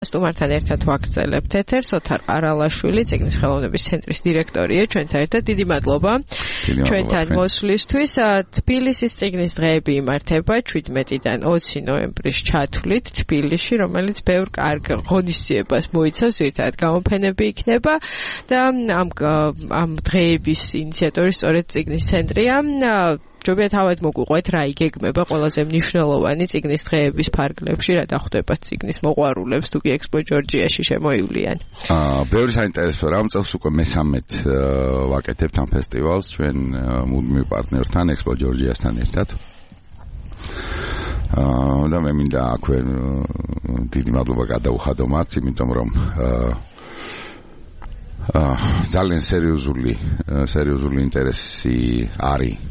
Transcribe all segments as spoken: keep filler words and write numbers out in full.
სტუმართან ერთად ვაგრძელებთ ეთერს. ოთარ ყარალაშვილი, წიგნის ხელოვნების ცენტრის დირექტორია, ჩვენთან ერთად. დიდი მადლობა ჩვენთან მოსვლისთვის. თბილისის წიგნის დღეები იმართება შვიდმეტიდან ოცი ნოემბრის ჩათვლით თბილისში, რომელიც ბევრ კარგ ღონისძიებას მოიცავს, ერთად გამოფენები იქნება და ამ ამ დღეების ინიციატორი სწორედ წიგნის ცენტრია. ჯობია თავად მოგვიყვეთ რა იგეგმება ყველაზე მნიშვნელოვანი წიგნის დღეების ფარგლებში, რა დახვდება წიგნის მოყვარულებს, თუ კი ექსპო ჯორჯიაში შემოივლიან. აა, ბევრი საინტერესო რამ წელს უკვე მესამედ ვაკეთებთ ამ ფესტივალს ჩვენ მუდმივ პარტნიორთან, ექსპო ჯორჯიასთან ერთად. აა, და მე მინდა აქვე დიდი მადლობა გადაუხადო მათ, იმიტომ რომ აა ძალიან სერიოზული სერიოზული ინტერესი არის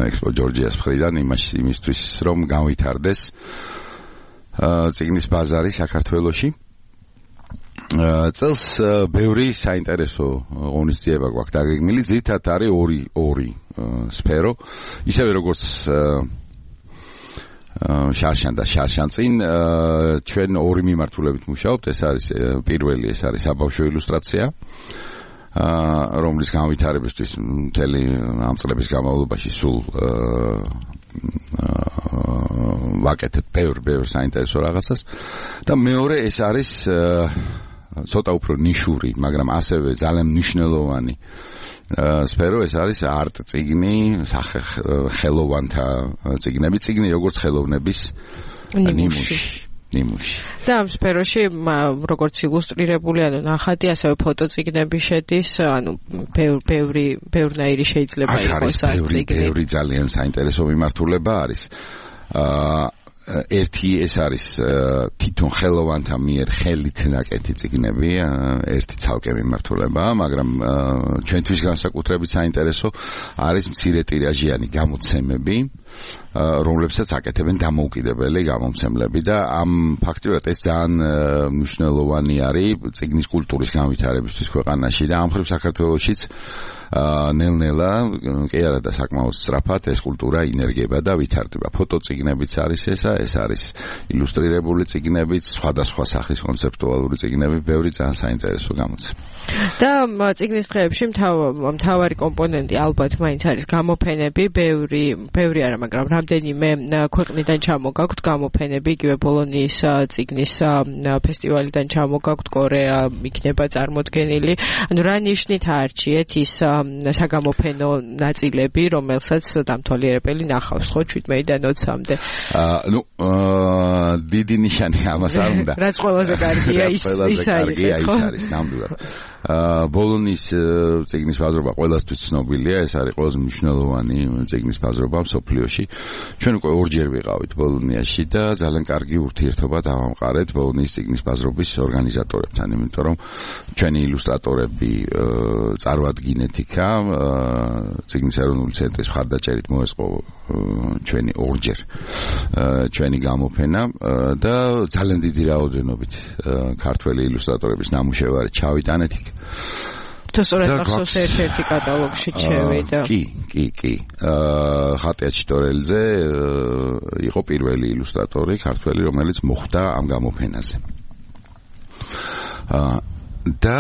ექსპო ჯორჯიას მხრიდან იმისთვის რომ გავითარდეს წიგნის ბაზარი საქართველოში. წელს ბევრი საინტერესო ღონისძიება გვაქვს დაგეგმილი, ძირითადად არის ორი ორი სფერო, ისევე როგორც შარშან და შარშანწინ ჩვენ ორი მიმართულებით მუშაობთ. ეს არის პირველი, ეს არის საბავშვო ილუსტრაცია, რომლის განვითარებისთვის მთელი ამ წლების განმავლობაში სულ ვაკეთებ ბევრ ბევრ საინტერესო რაღაცას და მეორე ეს არის ცოტა უფრო ნიშური, მაგრამ ასევე ძალიან მნიშვნელოვანი სფერო, ეს არის არტ წიგნი, სახელოვანთა წიგნები, წიგნი როგორც ხელოვნების ნიმუში. ნიმუში. და ამ სფეროში როგორც ილუსტრირებული, ანუ ნახატი, ასევე ფოტოწიგნები შედის, ანუ ბევრი ბევრნაირი შეიძლება იყოს ამ წიგნი. ბევრი ძალიან საინტერესო მიმართულება არის. აა ერთი ეს არის თვითონ ხელოვანთა მიერ ხელით ნაკეთი წიგნები, ერთი ცალკე მიმართულებაა, მაგრამ ჩვენთვის განსაკუთრებით საინტერესო არის მცირე ტირაჟიანი გამოცემები, რომლებსაც აკეთებენ დამოუკიდებელი გამომცემლები და ამ ფაქტიურად ეს ძალიან მნიშვნელოვანი არის წიგნის კულტურის განვითარებისთვის ქვეყანაში და ამ მხრივ საქართველოშიც ნელ-ნელა კი არა და საკმაოდ სწრაფად ეს კულტურა ინერგება და ვითარდება. ფოტოწიგნებიც არის ესა, ეს არის ილუსტრირებული წიგნებიც, სხვადასხვა სახის კონცეპტუალური წიგნები, ბევრი ძალიან საინტერესო გამოცემა. და წიგნის დღეებში მთავარი კომპონენტი ალბათ მაინც არის გამოფენები, ბევრი, ბევრი არა, მაგრამ რამდენიმე ქვეყნიდან ჩამოგაქვთ გამოფენები, იგივე ბოლონიის წიგნის ფესტივალიდან ჩამოგაქვთ, კორეა იქნება წარმოდგენილი. ანუ რა ნიშნით აარჩიეთ ის საგამოფენო ნაწილები, რომელსაც დამთვალიერებელი ნახავს ხო შვიდმეტიდან ოცამდე? აა, ნუ აა დიდი ნიშანი ამას არ უნდა. რაც ყველაზე კარგია ის ის არის, ნამდვილად. აა ბოლონიის წიგნის ბაზრობა ყველასთვის ცნობილია, ეს არის ყველაზე მნიშვნელოვანი წიგნის ბაზრობა მსოფლიოში. ჩვენ უკვე ორჯერ ვიყავით ბოლონიაში და ძალიან კარგი ურთიერთობა დავამყარეთ ბოლონიის წიგნის ბაზრობის ორგანიზატორებთან, იმიტომ რომ ჩვენი ილუსტრატორები წარვადგინეთ იქა, წიგნის ეროვნული ცენტრის მხარდაჭერით მოეწყო ჩვენი ორჯერ ჩვენი გამოფენა და ძალიან დიდი რაოდენობით ქართველი ილუსტრატორების ნამუშევარი ჩავიტანეთ იქ. თუ სწორედ ახსოვს ერთ-ერთი კატალოგში შევიდა. კი, კი, კი. აა ხატია ჩიტორელიძე იყო პირველი ილუსტრატორი ქართველი, რომელიც მოხვდა ამ გამოფენაზე. აა და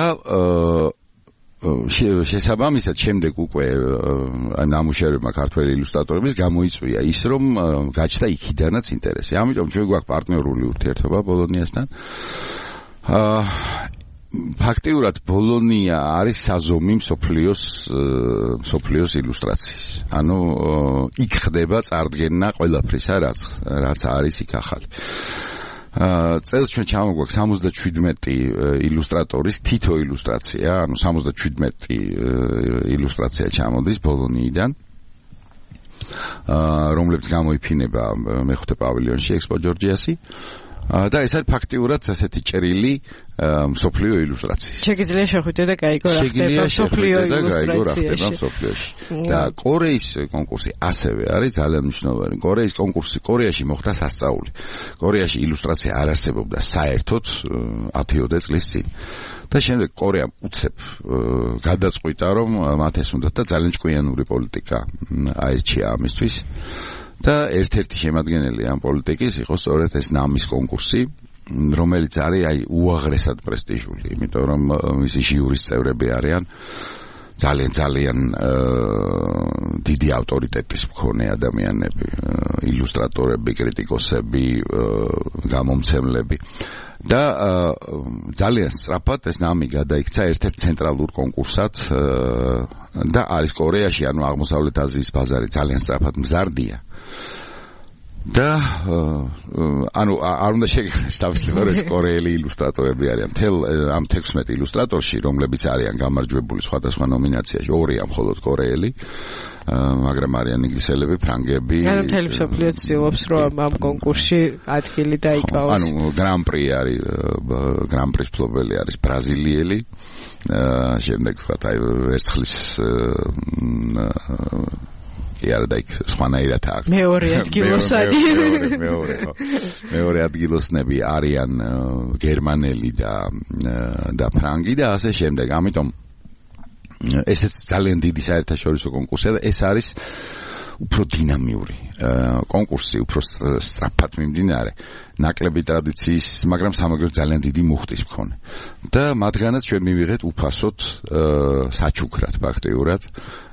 შესაბამისად შემდეგ უკვე ნამუშევრებმა ქართველი ილუსტრატორების გამოიწვია ის, რომ გაჩნდა იქიდანაც ინტერესი. ამიტომ ჩვენ გვაქვს პარტნიორული ურთიერთობა ბოლონიასთან. აა ფაქტიურად ბოლონია არის საზომი მსოფლიოს მსოფლიოს ილუსტრაციის. ანუ იქ ხდება წარდგენა ყველაფრისა, რაც რაც არის იქ ახალი. აა წელს ჩვენ ჩამოგვაქვს სამოცდაშვიდმეტი ილუსტრატორის თითო ილუსტრაცია, ანუ სამოცდაშვიდმეტი ილუსტრაცია ჩამოდის ბოლონიიდან, აა რომლებიც გამოიფინება მეხუთე პავილიონში ექსპო ჯორჯიასი. და ეს არის ფაქტიურად ასეთი ჭრილი მსოფლიო ილუსტრაციის. შეგიძლია შეხვიდე და გაიგო რა ხდება მსოფლიო ილუსტრაციაში. და კორეის კონკურსი ასევე არის ძალიან მნიშვნელოვანი. კორეის კონკურსი კორეაში მოხდა სასწაული. კორეაში ილუსტრაცია არ არსებობდა საერთოდ ათიოდე წლის წინ. და შემდეგ კორეამ უცებ გადაწყვიტა, რომ მათ ეს უნდათ და ძალიან ჭკვიანური პოლიტიკა აირჩია ამისთვის. და ერთ-ერთი შემადგენელი ამ პოლიტიკის იყო სწორედ ეს ნამის კონკურსი, რომელიც არის აი უაღრესად პრესტიჟული, იმიტომ რომ მისი ჟიურის წევრები არიან ძალიან ძალიან დიდი ავტორიტეტის მქონე ადამიანები, ილუსტრატორები, კრიტიკოსები, გამომცემლები. და ძალიან სწრაფად ეს ნამი გადაიქცა ერთ-ერთ ცენტრალურ კონკურსად და არის კორეაში, ანუ აღმოსავლეთ აზიის ბაზარი ძალიან სწრაფად მზარდია. და ანუ არ უნდა შეგეხოს თავისუფლად ეს კორეელი ილუსტრატორები არიან. მთელ ამ თექვსმეტ ილუსტრატორში, რომლებიც არიან გამარჯვებული სხვადასხვა ნომინაციაში, ორია მხოლოდ კორეელი. მაგრამ არიან ინგლისელები, ფრანგები. ანუ მთელი მსოფლიო ცდილობს რომ ამ კონკურსში ადგილი დაიკავოს. ანუ გრან-პრი არის, გრან-პრის მფლობელი არის ბრაზილიელი. შემდეგ ვთქვათ, აი ვერცხლის კი არა და იქ სხვანაირად აქვს. მეორე ადგილოსადი. მეორე, ხო. მეორე ადგილოსნები არიან გერმანელი და და ფრანგი და ასე შემდეგ. ამიტომ ესეც ძალიან დიდი საერთაშორისო კონკურსია და ეს არის უფრო დინამიური კონკურსი, უფრო სწრაფად მიმდინარე, ნაკლები ტრადიციის, მაგრამ სამაგრო ძალიან დიდი მუხტის მქონე. და მათგანაც ჩვენ მივიღეთ უფასოდ საჩუქრად ფაქტიურად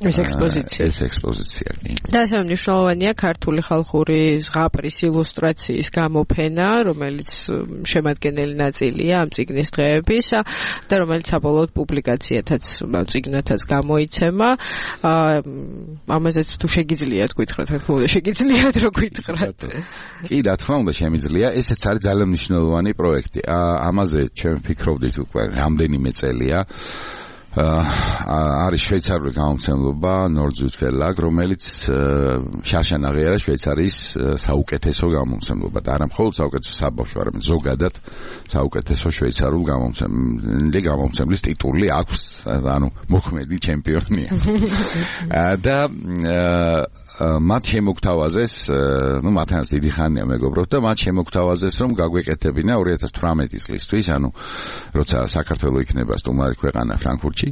ეს ექსპოზიცია. ეს ექსპოზიცია. და ასე მნიშვნელოვანია ქართული ხალხური ზღაპრის ილუსტრაციის გამოფენა, რომელიც შემადგენელი ნაწილია ამ წიგნის დღეების და რომელიც საბოლოოდ პუბლიკაციათაც წიგნათაც გამოიცემა. ამაზეც თუ შეგიძლიათ გითხრათ, რა თქმა უნდა, შეგიძლიათ რო გითხრათ. კი, რა თქმა უნდა, შემიძლია. ესეც არის ძალიან მნიშვნელოვანი პროექტი. ამაზე ჩვენ ვფიქრობდით უკვე რამდენიმე წელია. არის შვეიცარიული გამომცემლობა Nordsüd Verlag, რომელიც შარშან აღიარა შვეიცარიის საუკეთესო გამომცემლობა და არა მხოლოდ საუკეთესო საბავშვო, არამედ ზოგადად საუკეთესო შვეიცარულ გამომცემლი გამომცემლის ტიტული აქვს, ანუ მოქმედი ჩემპიონია. და მათ შემოგთავაზეს, ну, მათაც დიდი ხანია მეგობრებო და მათ შემოგთავაზეს, რომ გაგვეკეთებინა ორი ათას თვრამეტი წლისთვის, ანუ როცა საქართველოს იქნება სტუმარი ქვეყანა ფრანკფურტში,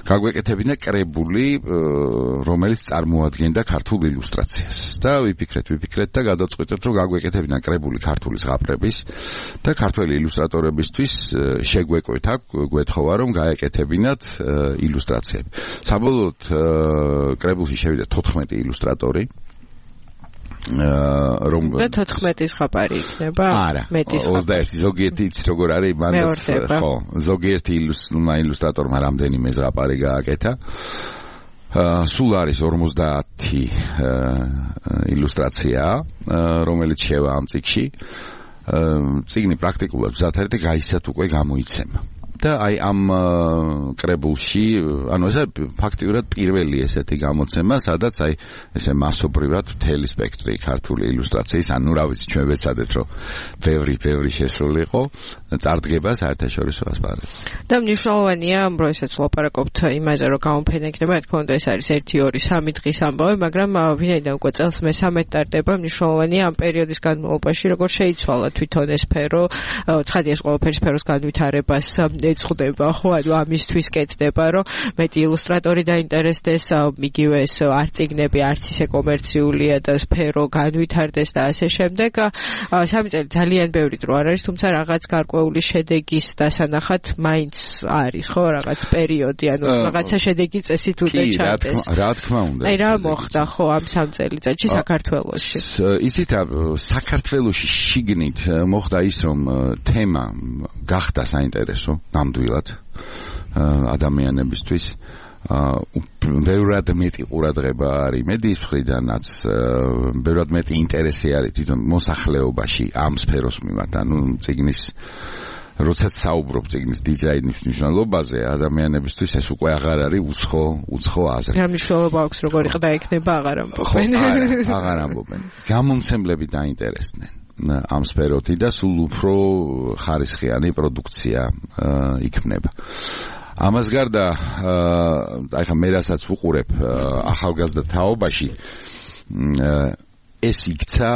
გაგვეკეთებინა კრებული, რომელიც წარმოადგენდა ქართულ ილუსტრაციას. და ვიფიქრეთ, ვიფიქრეთ და გადავწყვიტეთ, რომ გაგვეკეთებინა კრებული ქართული ზღაპრების და ქართველი ილუსტრატორებისთვის შეგვეკვეთა, გვეთხოვა, რომ გაეკეთებინათ ილუსტრაციები. საბოლოოდ კრებულში შევიდა თოთხმეტი ილუსტრატორი რომ და თოთხმეტი ზღაპარი იქნება? არა, ოცდაერთი ზოგიერთი იცით როგორ არის, მანდაც ხო, ზოგიერთი ილუსტრატორმა რამდენიმე ზღაპარი გააკეთა. სულ არის ორმოცდაათი ილუსტრაცია, რომელიც შევა ამ წიგნში. წიგნი პრაქტიკულად მზად არის და გაისად უკვე გამოიცემა. და აი ამ კრებულში, ანუ ეს ფაქტიურად პირველი ესეთი გამოცემა, სადაც აი ესე მასობრივად მთელი სპექტრი ქართული ილუსტრაციის, ანუ რა ვიცი, ჩვენ ვეცადეთ, რომ ბევრი ბევრი შესულიყო, წარდგება საერთაშორისო ასპარეზზე. და მნიშვნელოვანია, რომ ესეც ვლაპარაკობთ იმაზე, რომ გამოფენა იქნება, რა თქმა უნდა, ეს არის ერთი, ორი, სამი დღის ამბავი, მაგრამ ვინაიდან უკვე წელს მესამედ ტარდება, მნიშვნელოვანია ამ პერიოდის განმავლობაში, როგორ შეიცვალა თვითონ ეს სფერო, ცხადია ეს ყველაფერი სფეროს განვითარებას ეწხდება, ხო, ანუ ამისთვის კეთდება, რომ მეტი ილუსტრატორი დაინტერესდეს, იგივე ეს არც წიგნები, არც ისე კომერციულია და სფერო განვითარდეს და ასე შემდეგ. სამი წელი ძალიან ბევრი დრო არ არის, თუმცა რაღაც გარკვეული შედეგის დასანახად მაინც არის, ხო, რაღაც პერიოდი, ანუ რაღაცა შედეგი წესით უნდა ჩადეს. რა თქმა უნდა. აი რა მოხდა, ხო, ამ სამ წელიწადში საქართველოში? ისიც საქართველოში შიგნით მოხდა ის, რომ თემა გახდა საინტერესო ნამდვილად ადამიანებისთვის. ბევრად მეტი ყურადღება არის მედიის მხრიდანაც, ბევრად მეტი ინტერესი არის თვითონ მოსახლეობაში ამ სფეროს მიმართ, ანუ წიგნის როდესაც საუბრობ წიგნის დიზაინის მნიშვნელობაზე, ადამიანებისთვის ეს უკვე აღარ არის უცხო უცხო აზრი. რა მნიშვნელობა აქვს, როგორი ყდა იქნება, აღარ ამბობენ. ხო, აღარ ამბობენ. გამომცემლები დაინტერესდნენ ამ სფეროთი და სულ უფრო ხარისხიანი პროდუქცია იქმნება. ამას გარდა, აი ხა მე რასაც ვუყურებ ახალგაზრდა თაობაში, ეს იქცა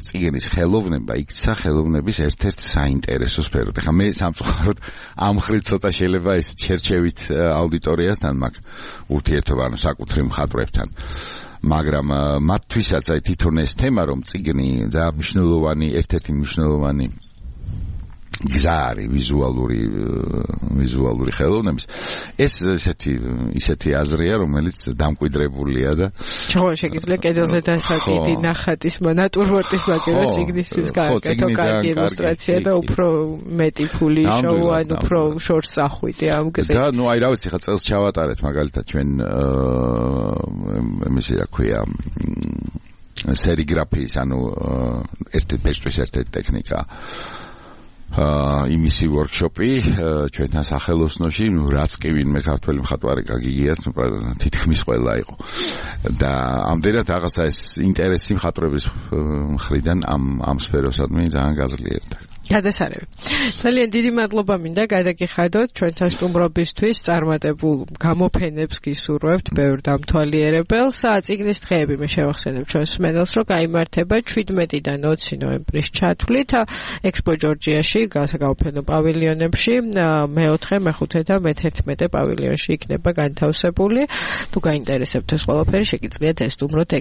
წიგნის ხელოვნება, იქცა ხელოვნების ერთ-ერთ საინტერესო სფეროდ. ხა მე სამწუხაროდ ამ ხრით ცოტა შეიძლება ეს ჩერჩევით აუდიტორიასთან მაქვს ურთიერთობა, ანუ საკუთრივ მხატვრებთან. მაგრამ მათთვისაც აი თვითონ ეს თემა, რომ წიგნი ძალიან მნიშვნელოვანი, ერთ-ერთი მნიშვნელოვანი გზა არის ვიზუალური ვიზუალური ხელოვნების. ეს ესეთი ისეთი აზრია, რომელიც დამკვიდრებულია და ხო, შეგიძლია კედელზე დასაკიდი ნახატის ნატურმორტის მაგერა ციგნისთვის გააკეთო კარგი ილუსტრაცია და უფრო მეტი ფული შოუ, ან უფრო შორს ახვიდე ამ გზით. და ნუ აი რა ვიცი, ხა წელს ჩავატარეთ მაგალითად ჩვენ იმისი რა ქვია სერიგრაფიის, ანუ ერთი ფესტვის ერთ-ერთი ტექნიკა აა იმისი ვორქშოპი ჩვენთან სახელოსნოში, ნუ რაც კი ვინმე ქართველი მხატვარი გაგიგიათ, ნუ თითქმის ყველა იყო. და ამდენად რაღაცა ეს ინტერესი მხატვრების მხრიდან ამ ამ სფეროსადმი ძალიან გაძლიერდა. გადასარევი. ძალიან დიდი მადლობა მინდა გადაგიხადოთ ჩვენთან სტუმრობისთვის, წარმატებულ გამოფენებს გისურვებთ, ბევრ დამთვალიერებელს. წიგნის დღეები მე შევახსენებ ჩვენს მსმენელს, რომ გაიმართება შვიდმეტიდან ოცი ნოემბრის ჩათვლით ექსპო ჯორჯიაში, გამოფენო პავილიონებში, მეოთხე, მეხუთე და მეთერთმეტე პავილიონში იქნება განთავსებული. თუ გაინტერესებთ ეს ყველაფერი, შეგიძლიათ ესტუმროთ